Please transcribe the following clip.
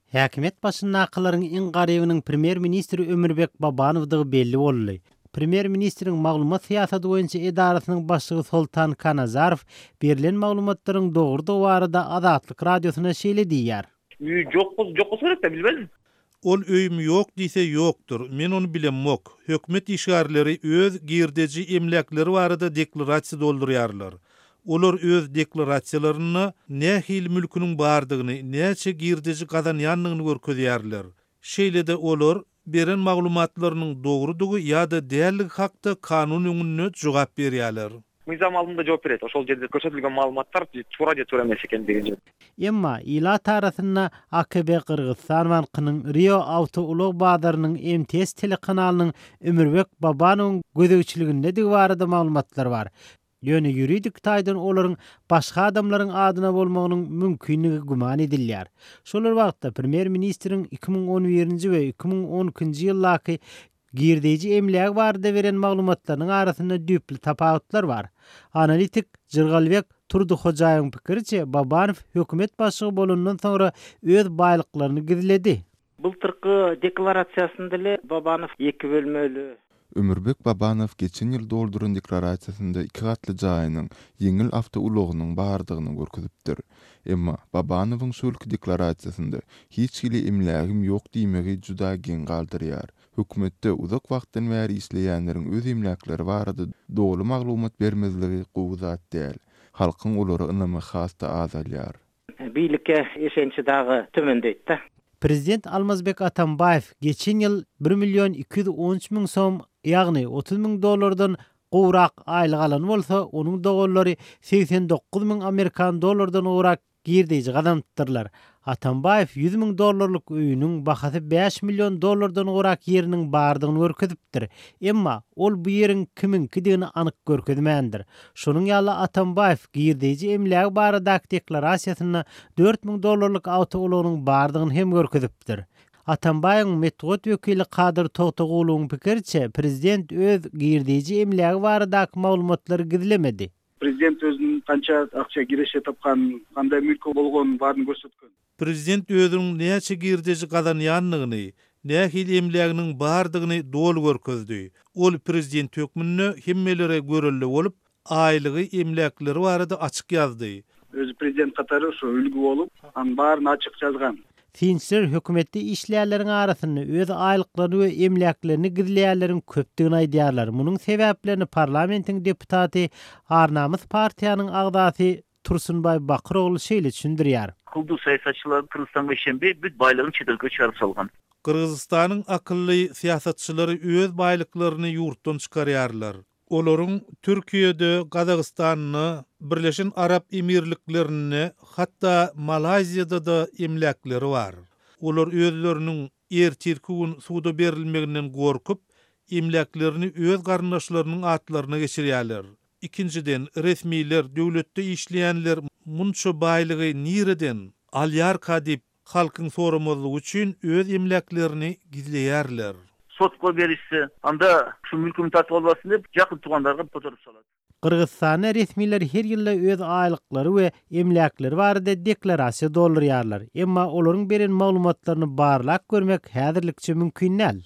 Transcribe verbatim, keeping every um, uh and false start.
Häkimiýet başyndakylaryň iň garybynyň premýer-ministr Ömürbek Babanowdygy belli boldy. Premýer-ministriň maglumat syýasaty boýunça edarasynyň başlygy Soltan Kanazarow berlen maglumatlaryň dogrudygy barada Azatlyk Radiosyna şeýle diýýär. Үй жок жок болсо керек да, билбедим. Ol öýüm ýok diýse ýokdur. Men ony bilemok. Hökümet işgärleri öz girdeji emläkleri barada deklarasiýa doldurýarlar. Olar öz deklarasiýalarynda nähili mülküniň bardygyny, näçe girdeji gazanýandygyny görkezýärler. Şeýle-de olar beren maglumatlarynyň dogrudygy ýa-da däldigi hakda kanun öňünde jogap berýärler. Мыйзам алдында жооп берет. Ошол жерде көрсөтүлгөн маалыматтар туура же туура эмес экендигин. Emma ilat arasynda A K B Gyrgyzystan bankynyň, Rio awtoulag bazarynyň, M T S telekanalynyň Ömürbek Babanowyň gözegçiligindedigi barada maglumatlar bar. Ýöne ýuridik taýdan olaryň başga adamlaryň adyna bolmagynyň mümkinligi güman edilýär. Şol bir wagtda premýer-ministriň iki müň on birinji we iki müň on ikinji ýyldaky girdeji emlägi barada beren maglumatlarynyň arasynda düýpli tapawutlar bar. Analitik Jyrgalbek Turduhojaýewiň pikiriçe, Babanow hökümet başlygy bolandan soňra öz baýlyklaryny gizledi. Былтыркы декларациясында эле Бабанов эки бөлмөлүү Ömürbek Babanow geçen ýyl dolduran deklarasiýasynda iki gatly jaýynyň, ýeňil awtoulagynyň bardygyny görkezipdir. Emma Babanowyň şu ýylky deklarasiýasynda hiç hili emlägim ýok diýmegi juda geň galdyrýar. Hökümetde uzak wagtdan bäri işleýänleriň öz emläkleri barada doly maglumat bermezligi gowy zat däl. Halkyň olara ynamy has-da azalýar. Бийликке ишеничи дагы төмөндөйт да. Prezident Almazbek Atambaýew geçen ýyl bir million iki ýüz on üç müň som, ýagny otuz müň dollardan gowrak aýlyk alan bolsa, onuň doganlary segsen dokuz müň Amerikan dollardan gowrak girdeji gazanypdyrlar. Atambaýew ýüz müň dollarlyk öýüniň bahasy bäş million dollardan gowrak ýeriniň bardygyny görkezipdir. Emma ol bu ýeriň kimiňkidigini anyk görkezmändir. Şonuň ýaly Atambaýew girdeji emlägi baradaky deklarasiýasynda dört müň dollarlyk awtoulagynyň bardygyny hem görkezipdir. Atambaýewiň metbugat wekili Kadyr Toktoguluwyň pikiriçe, prezident öz girdeji emlägi baradaky maglumatlary gizlemedi. Президент өзүнүн канча акча киреше тапканын, кандай мүлкү болгонун баарын көрсөткөн. Prezident özüniň näçe girdeji gazanýandygyny, nähili emläginiň bardygyny doly görkezdi. Ol prezident hökmünde hemmelere görelde bolup, aýlygy, emläkleri barada açyk ýazdy. Өзү президент катары ошо үлгү болуп, анын баарын ачык жазган. Synçylar hökümetde işleýänleriň arasynda öz aýlyklaryny we emläklerini gizleýänleriň köpdügini aýdýarlar. Munuň sebäplerini parlamentiň deputaty Ar-Namys partiýanyň agzasy Tursunbaý Bakyrogly şeýle düşündirýär. Акылдуу саясатчылар Кыргызстанга ишенбей, бүт байлыгын чет өлкөгө чыгарып салган. Gyrgyzystanyň akylly syýasatçylary öz baýlyklaryny ýurtdan çykarýarlar. Olaryň Türkiýede, Gazagystanda, Birleşen Arap Emirliklerinde, hatda Malaýziýada da emläkleri bar. Olar özleriniň ertirki gün suda berilmeginden gorkup, emläklerini öz garyndaşlarynyň atlaryna geçirýärler. Ikinjiden, resmiler, döwletde işleýänler munça baýlygy nireden alýarka diýip halkyň soramazlygy üçin öz emläklerini gizleýärler. Сотко беришсе, анда ушу мүлкүмдү тартып албасын деп жакын туугандарга которуп салат. Gyrgyzystanda resmiler her ýylda öz aýlyklary we emläkleri barada deklarasiýa doldurýarlar. Emma olaryň beren maglumatlaryny barlap görmek häzirlikçe mümkin däl.